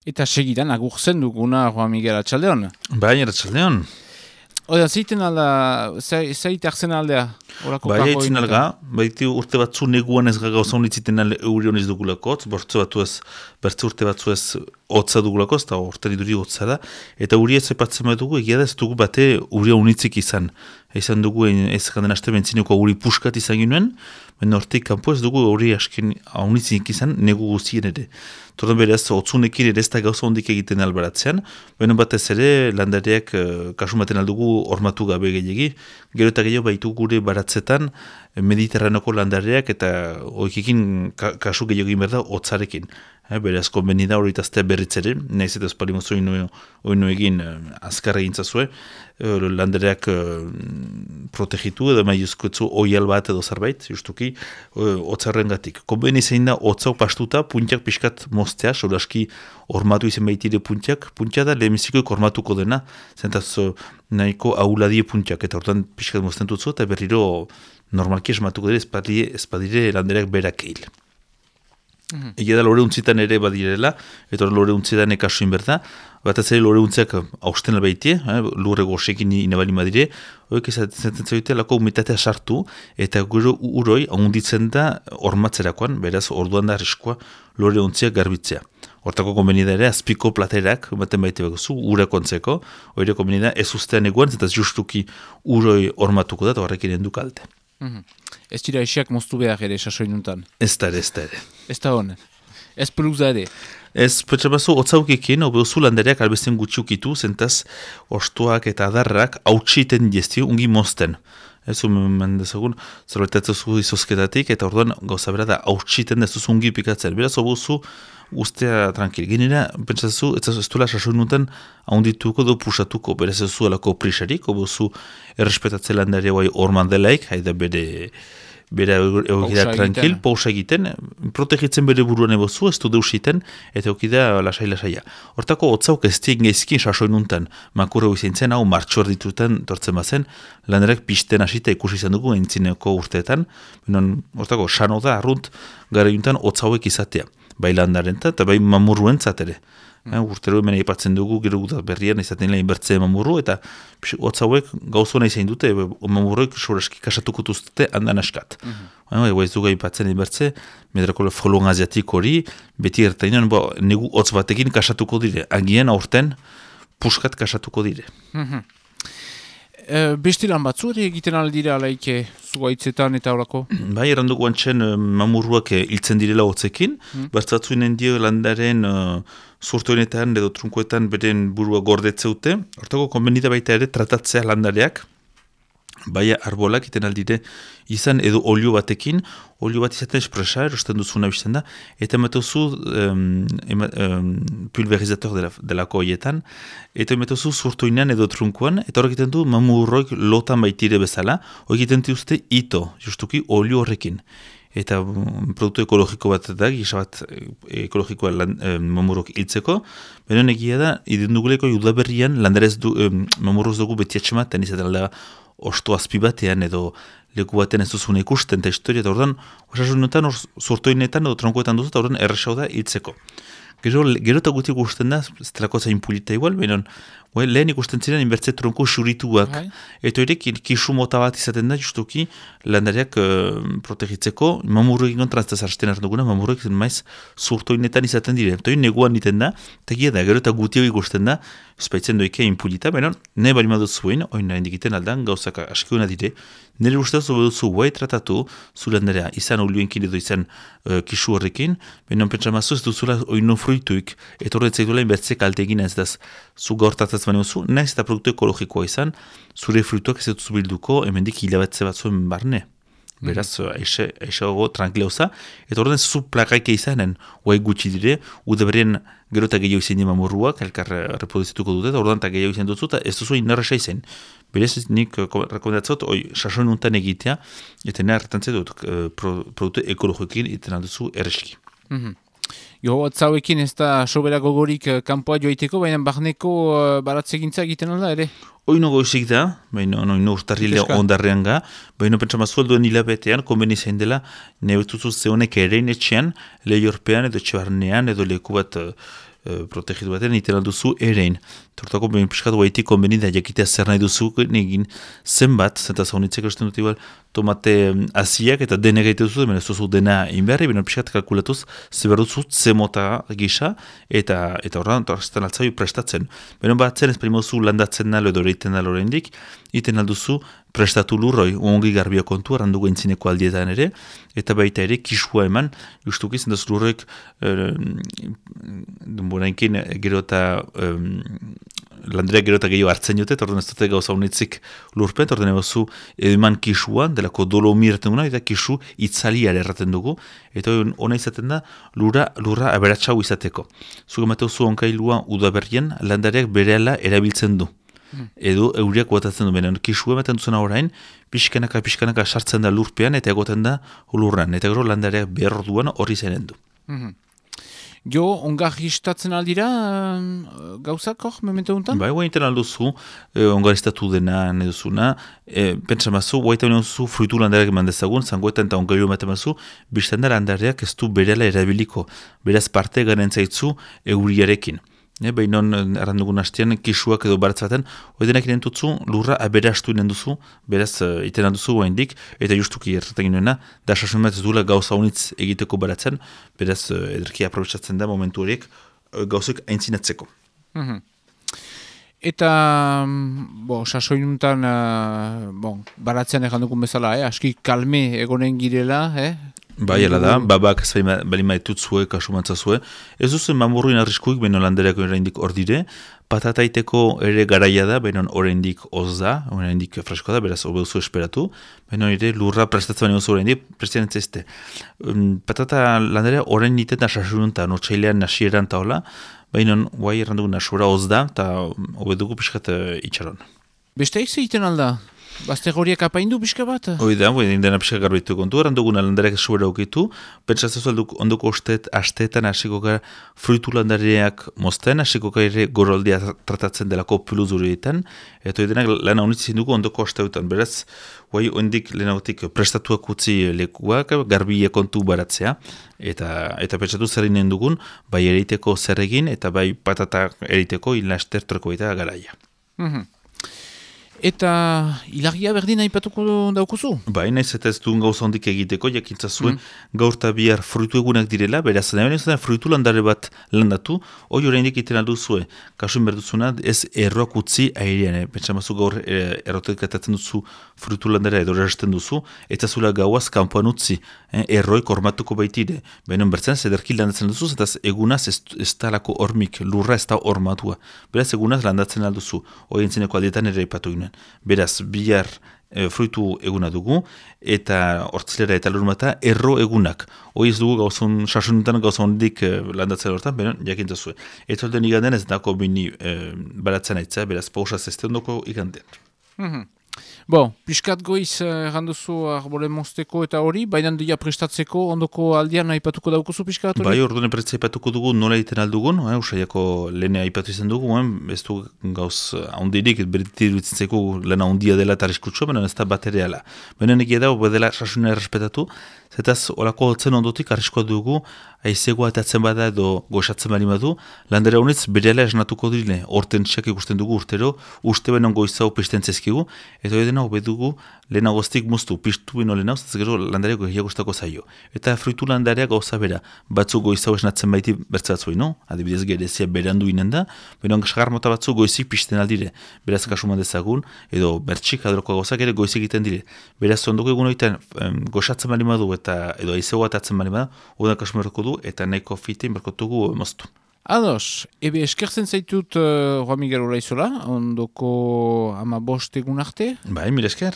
Eta segidan agurtzen duguna Juan Miguel Atxaldeon. Bai, Atxaldeon. Oda, zeiten alda, zeit hartzen aldea? Bai, haitzin alga, baiti urte batzu neguan ez gauza honitziten alde eurion ez dugulakotz, bertze urte batzu ez hotza dugulakoz, eta urte duri hotza da, eta uri ez epatzen dugu, egia da ez dugu bate uria unitzik izan. Izan dugu ez ganden aste bentzineko uri puskat izan ginoen, baina hortik kanpo ez dugu uri asken unitzik izan negu guztien ere. Tordan beraz, otzunekin ere ez da gauza hondik egiten albaratzean, baina batez ere landareak kasumaten aldugu hormatu gabe gehiagi, gero eta gehiago baitu gure baratzetan mediterranoko landareak eta oikekin kasu gehiago egin behar da hotzarekin. Beraz, konbeni da horretaztea berritzere, nahiz eta espalimozu oinu egin azkarra egintzazue, landareak protegitu edo maiuzkoetzu oial bat edo zerbait, justuki, hotzarren gatik. Konbeni zein da hotzau pastuta, puntiak pixkat moztea, solaski hormatu izen baitire puntiak da lehemizikoik hormatuko dena, zentaz nahiko auladie puntiak, eta hortan pixkat mozten dutzu, eta berriro normalki esmatuko dira espadire landareak berak eil. Egia da lore untzitan ere badirela, eta lore untzitan ekasuin berda, bat ez ere lore untziak hausten albaitie, lurre goxekin inabali madire, horiek ezaten zaite lako umitatea sartu, eta gero uroi ahonditzen da hormatzerakoan, beraz orduan da arriskoa lore untziak garbitzea. Hortako konbenida ere, azpiko platerak, baten baite bagozu, urako antzeko, hori konbenida ez ustean eguan, eta justuki uroi hormatuko da, eta horrekin endu kalte. Ez dira esiak moztu behar ere sasoinuntan? Ez da ere. Ez da hon? Ez peluza ere? Ez, petxabazu, otzaukekin, obeozu landareak albesten gutxiukitu, zentaz ostuak eta adarrak hautsiten diezti ungi mozten. Ez mendezagun, zerbaitatzu izozketatik, eta orduan gauza bera da hautsiten dezu ungi pikatzen. Beraz, obeozu ustea tranquil. Ginera, pentsazu, ez duela sasoinutan ahondituko do pusatuko, beraz ez zuelako prisarik, obeozu errespetatzen landaria guai orman delaik, haida bere eukida tranquil, pausa egiten, protegitzen bere buruan ebozu, ez du deusiten, eta eukida lasai-lasaia. Hortako, hotzauk ez tiek gaizkin sasoinuntan, makurra izaintzen, hau martxor ditutan tortzen bazen, landarak pisten hasita ikusi izan dugu entzineko urteetan, hortako, sano da, arrunt, gara juntan, hotzauek izatea. Bai landarentzat eta bai mamurruentzat ere. Urtero hemen aipatzen dugu, gero berrian izaten lehen bertze mamurru, eta hotz hauek gauzona izan dute, mamurroik soreski kasatuko duzte handan askat. Ez dugu aipatzen bertze, medrako folon aziatik hori, beti ertainan, negu hotz batekin kasatuko dire, agian aurten puskat kasatuko dire. Bestilan batzu ere egiten aldira alaike zuaitzetan eta horako? Bai, errandugu antxen mamurruak hiltzen direla hotzekin, bertzatzuinen dio landaren zurtoinetan edo trunkoetan beren burua gordetzeute, hortako konbenida baita ere tratatzea landareak, bai arbolak iten aldire izan edo olio batekin, olio bat izaten espresa, erosten duzuna bizten da, eta ematozu pulverizator delako hoietan, eta ematozu zurtoinean edo trunkoan, eta horrek iten du mamurroik lotan baitire bezala, horrek iten diuzte ito, justuki olio horrekin. Eta produktu ekologiko bat da, gisa bat ekologikoa mamurrok hiltzeko, benen egia da, idenduguleko judaberrian landarez mamurroz dugu beti atxematen izaten da osto azpi batean edo leku batean ez duzune ikusten eta historia, eta ordan osasunetan, zurtoinetan edo tronkoetan duzu, eta ordan errexau da hiltzeko. Gero eta guti ikusten da, ez telako zain pulita igual, behinon, lehen ikusten ziren inbertze tronko xurituak. Eta horiek kisu mota bat izaten da, justuki landareak protegitzeko, mamurroek ingontran ez da zarsten arduguna, mamurroek maiz zurtoinetan izaten dire. Eta hori neguan iten da, eta gira da, gero eta guti hori ikusten da, espaitzen doikea impulita, behinon, nahi bali madut zuen, hori nahi indikiten aldan, gauzak askiuna dire, nire ustez obeduzu guai tratatu, zu landarea, izan olioenkin edo izan kisu horrekin, behinon pentsamazu ez duzula oino fruituik, eta horretzak duela inbertze kalte egin ez daz, zu gaurtatzaz baina zu, nahiz eta produktu ekologikoa izan, zure fruituak ez dut zubilduko, hemendik hilabatze bat zuen barne. Beraz, aixago tranquilauza, eta horren zu plakaike izanen, guai gutxi dire, udaberien gero eta gehiago izan dima morruak, elkar reproduzituko dute, eta horren eta gehiago izan dutzu, eta ez duzu inarresa izan. Berez, nik rekomendatzot, sasoin untan egitea, eta nahi hartantzea dut produktu ekologikoekin iten alduzu erreski. Jo, atzauekin ez da soberako gorik kanpoa joaiteko, baina barneko baratzegintza egiten alda ere? Oino goizik da, baina oino urtarrilea ondarrean ga, baina pentsama zuelduen hilabetean, konbeni zain dela, nebetuzu zehonek erein etxean, lehiorpean edo etxebarnean edo leku bat protegitu batean, iten alduzu erein. Tortako, behin piskatu haitik konbenida jakitea zer nahi duzu, egin zenbat, zenta zaunitzeko esten dut igual, tomate aziak eta dene gaite duzu, hemen ez duzu dena inberri, behin piskat kalkulatuz, zeber duzu zemota gisa, eta horrean, torrezetan altzaiu prestatzen. Behin batzen ez primozu landatzen nalo edo reiten nalo oraindik, iten alduzu prestatu lurroi, ongi garbio kontu, arrandugu entzineko aldietan ere, eta baita ere kisua eman, justuki zendaz lurroik, denborainkin gero eta landereak gero eta gehiago hartzen jute, eta orduan ez dute gauza honetzik lurpen, eta orduan ebazu eman kisuan, delako dolomir erraten duguna, eta kisu itzaliare erraten dugu, eta hona izaten da lurra aberatxau izateko. Zuge mateu zu onkailua udaberrien, landareak berehala erabiltzen du. Edo euriak guatatzen du benen. Kisu ematen duzuna orain, pixkanaka sartzen da lurpean eta egoten da lurran. Eta gero landareak behar duan horri zenen du. Jo, ongarristatzen aldira gauzak hor, memento untan? Bai, guainten alduzu, ongarristatu dena neduzuna, pentsa mazu, guaita zu fruitu landareak eman dezagun, zangoetan eta ongarrio ematen mazu, biztan da landareak ez du berela erabiliko, beraz parte garen zaitzu euriarekin. Behinon errandugun hastean, kisuak edo baratz baten, oidenak inentutzu lurra aberastu inenduzu, beraz iten alduzu guaindik, eta justuki erraten ginoena, da sasun bat ez duela gauza honitz egiteko baratzen, beraz ederki aprobetsatzen da momentu horiek gauzak aintzinatzeko. Eta, sasoinuntan, baratzean errandukun bezala, aski kalme egonen girela, Bai, ala da, babak ez bali maitutzue, kasumantzazue. Ez duzen mamurruin arriskuik, beno landereako oraindik hor dire, patataiteko ere garaia da, beno oraindik oz da, oraindik fresko da, beraz hobe duzu esperatu, beno ere lurra prestatzen baino zu oraindik, prestatzen ezte. Patata landerea orain niten da sasununtan, otxailean nasieran taola, beno guai errandugu nasura oz da, eta hobe dugu pixkat itxaron. Beste egiten alda? Bazte horiek apaindu pixka bat? Oida, indena pixka garbitu kontu, errandugun landareak sobera aukitu, pentsatzen ondoko asteetan hasiko gara fruitu landareak mozten, hasiko gara ere goroldia tratatzen delako piluzurietan, eta oidenak lana honitzen dugu ondoko asteutan, beraz, guai ondik lehenagotik prestatuak utzi lekuak, garbie kontu baratzea, eta pentsatu zer inen dugun, bai ereiteko zer egin, eta bai patata ereiteko ilaster troko eta garaia. Eta ilagia berdin aipatuko daukuzu? Bai, naiz eta ez duen gauza hondik egiteko, jakintzazue gaur eta bihar fruitu egunak direla, beraz, nahi fruitu landare bat landatu, hoi oraindik iten alduzue, kasuin berduzuna, ez erroak utzi airean, pentsamazu gaur errotek atatzen duzu fruitu landare edo erasten duzu, eta zula gauaz kanpoan utzi, erroik ormatuko baitire, behinon bertzen, zederki landatzen duzu, eta egunaz ez talako hormik, lurra ez da ormatua, beraz, egunaz landatzen alduzu, hoi entzineko aldietan ere ipatu ginen. Beraz, bihar fruitu eguna dugu, eta hortzilera eta lurmata erro egunak. Hoi ez dugu gauzun, sasununtan gauzun hondik landatzen horretan, beren, jakintzazue. Eta holden igandean ez dako bini baratzen aitza, beraz, pausaz ez ondoko igandean. Piskat goiz erranduzu arbole mozteko eta hori, baina dia prestatzeko ondoko aldian aipatuko daukuzu piskat hori? Bai, orduan epretzea aipatuko dugu, nola egiten aldugun, usaiako lehene aipatu izan dugu, ez du gauz ahondirik, berditik dutzen zeko lehena ahondia dela eta arriskutsua, baina ez da bat ere ala. Baina negia da, bedela sasuna errespetatu, zetaz, olako hotzen ondotik arriskoa dugu, aizegoa atatzen bada edo goxatzen bali badu, landera honetz berela esnatuko dile, orten txak ikusten dugu urtero, uste benon goizau pisten zezkigu, eta hori dena hobe dugu lehenagoztik muztu, piztu bino lehenagoz, ez gero landareak gehiagostako zaio. Eta fruitu landareak gauza bera, batzu goizau esnatzen baiti bertzatzoi, no? Adibidez gerezia berandu inen da, benon sagar mota batzu goizik pisten aldire, beraz kasuman dezagun, edo bertxik adroko gauzak ere goizik egiten dire. Beraz ondoko egun horietan goxatzen bali badu eta edo aizegoa atatzen bali bada, oda kasuman du eta nahiko fitin berkotugu moztu. Ados, eskertzen zaitut Juan Miguel Olaizola, ondoko 15 egun arte? Bai, mil esker.